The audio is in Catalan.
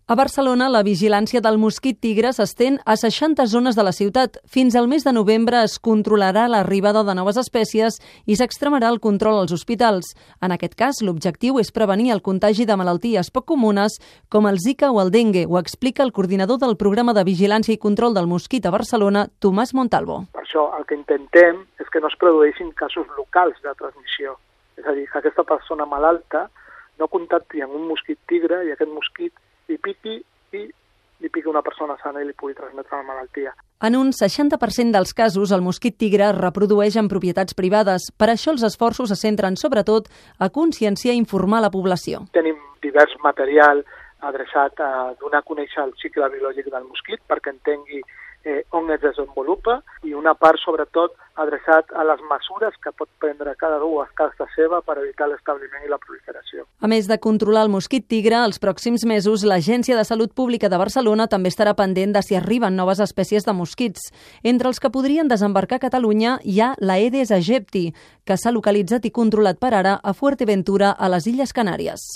A Barcelona, la vigilància del mosquit tigre s'estén a 60 zones de la ciutat. Fins al mes de novembre es controlarà l'arribada de noves espècies i s'extremarà el control als hospitals. En aquest cas, l'objectiu és prevenir el contagi de malalties poc comunes com el Zika o el dengue. Ho explica el coordinador del programa de vigilància i control del mosquit a Barcelona, Tomàs Montalvo. Per això el que intentem és que no es produeixin casos locals de transmissió. És a dir, que aquesta persona malalta no contacti amb un mosquit tigre i aquest mosquit li piqui una persona sana i li pugui transmetre la malaltia. En un 60% dels casos, el mosquit tigre es reprodueix en propietats privades. Per això els esforços se centren sobretot a conscienciar i informar la població. Tenim divers material adreçat a donar a conèixer el cicle biològic del mosquit perquè entengui on es desenvolupa i una part, sobretot, adreçat a les mesures que pot prendre cada u a casa seva per evitar l'establiment i la proliferació. A més de controlar el mosquit tigre, els pròxims mesos l'Agència de Salut Pública de Barcelona també estarà pendent de si arriben noves espècies de mosquits. Entre els que podrien desembarcar a Catalunya hi ha l'Aedes aegypti, que s'ha localitzat i controlat per ara a Fuerteventura, a les Illes Canàries.